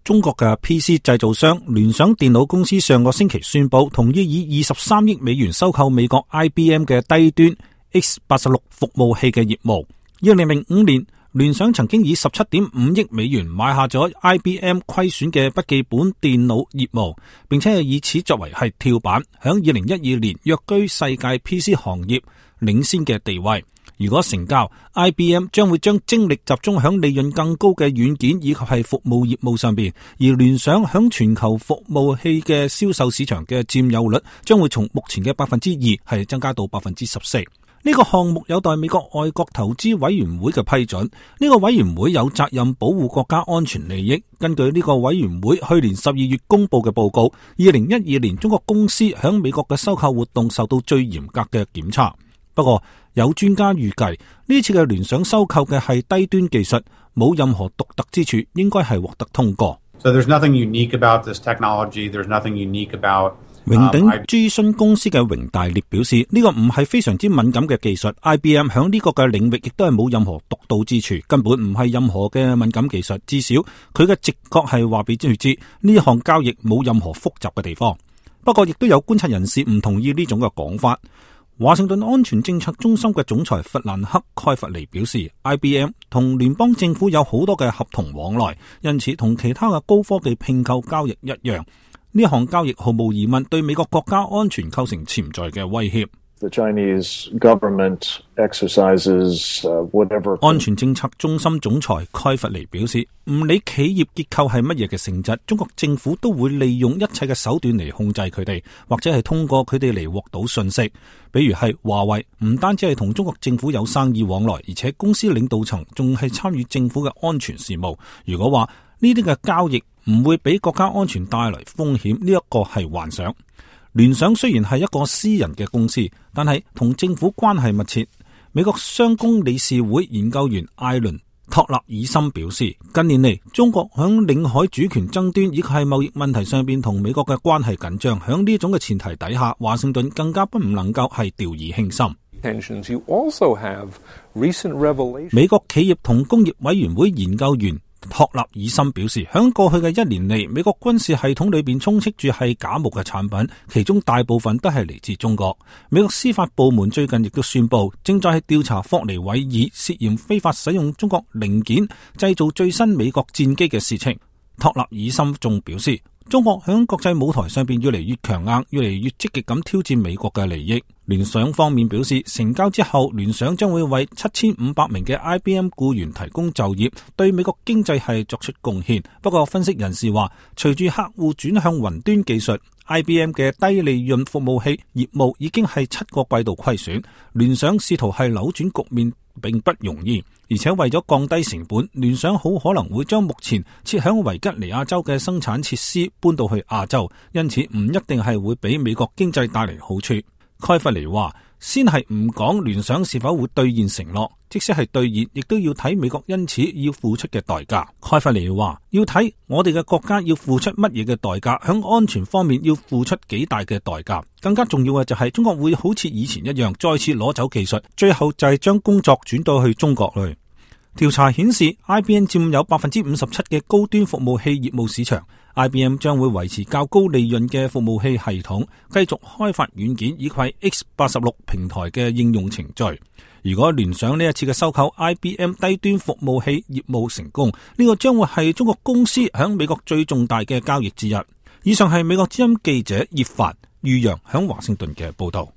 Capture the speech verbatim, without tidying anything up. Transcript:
中國嘅 P C 製造商聯想電腦公司上個星期宣布，同意以二十三億美元收購美國 I B M 嘅低端 X 八十六服務器嘅業務。二零零五年，聯想曾經以十七點五億美元買下咗 I B M 虧損嘅筆記本電腦業務，並且係以此作為係跳板，響二零一二年躍居世界 P C 行業領先嘅地位。如果成交 ，I B M 將會將精力集中響利潤更高嘅軟件以及係服務業務上邊，而聯想響全球服務器嘅銷售市場嘅佔有率將會從目前嘅百分之二係增加到百分之十四。呢個項目有待美國外國投資委員會嘅批准。呢個委員會有責任保護國家安全利益。根據呢個委員會去年十二月公布嘅報告，二零一二年中國公司響美國嘅收購活動受到最嚴格嘅檢查。不過有專家預計呢次嘅聯想收購嘅係低端技術，冇任何獨特之處，應該係獲得通過。So there's nothing unique about this technology. There's nothing unique about榮鼎諮詢公司嘅榮大烈表示，呢、這個唔係非常之敏感嘅技術 ，I B M 響呢個嘅領域亦都係冇任何獨到之處，根本唔係任何嘅敏感技術。至少佢嘅直覺係話俾專業知呢項交易冇任何複雜嘅地方。不過亦都有觀察人士唔同意呢種嘅講法。華盛頓安全政策中心嘅總裁弗蘭克蓋弗尼表示 ，I B M 同聯邦政府有好多嘅合同往來，因此同其他嘅高科技併購交易一樣。呢項交易毫無疑問對美國國家安全構成潛在嘅威脅。The Chinese government exercises, uh, whatever. 安全政策中心總裁蓋弗尼表示，唔理企業結構係乜嘢嘅性質，中國政府都會利用一切嘅手段嚟控制佢哋，或者係通過佢哋嚟獲到信息。比如係華為，唔單止係同中國政府有生意往來，而且公司領導層仲係參與政府嘅安全事務。如果話呢啲嘅交易唔會俾國家安全帶來風險，呢一個係幻想。聯想雖然係一個私人嘅公司，但係同政府關係密切。美國商工理事會研究員艾倫托納爾森表示，近年嚟中國響領海主權爭端以及係貿易問題上邊同美國嘅關係緊張，響呢種嘅前提底下，華盛頓更加不唔能夠係掉以輕心。美國企業同工業委員會研究員托納爾森表示，響過去嘅一年嚟，美國軍事系統裏邊充斥住係假冒嘅產品，其中大部分都係嚟自中國。美國司法部門最近亦都宣布，正在係調查霍尼韋爾涉嫌非法使用中國零件製造最新美國戰機嘅事情。托納爾森仲表示，中國響國際舞台上邊越嚟越強硬，越嚟越積極咁挑戰美國嘅利益。聯想方面表示，成交之後，聯想將會為七千五百名嘅 I B M 僱員提供就業，對美國經濟係作出貢獻。不過，分析人士話，隨住客戶轉向雲端技術， I B M 嘅低利潤服務器業務已經係七個季度虧損。聯想試圖係扭轉局面並不容易，而且為咗降低成本，聯想好可能會將目前設響維吉尼亞州嘅生產設施搬到去亞洲，因此唔一定係會俾美國經濟帶嚟好處。蓋弗尼話，先係唔講聯想是否會兌現承諾，即使係兌現，亦都要睇美國因此要付出嘅代價。蓋弗尼話，要睇我哋嘅國家要付出乜嘢嘅代價，響安全方面要付出幾大嘅代價。更加重要嘅就係中國會好似以前一樣再次攞走技術，最後就係將工作轉到去中國去。調查顯示 I B M 佔有百分之五十七嘅高端服務器業務市場。I B M 將會維持較高利潤嘅服務器系統，繼續開發軟件以及 X 八十六平台嘅應用程序。如果聯想呢一次嘅收購 I B M 低端服務器業務成功，呢個將會係中國公司響美國最重大嘅交易之一。以上係美國之音記者葉凡、于洋響華盛頓嘅報道。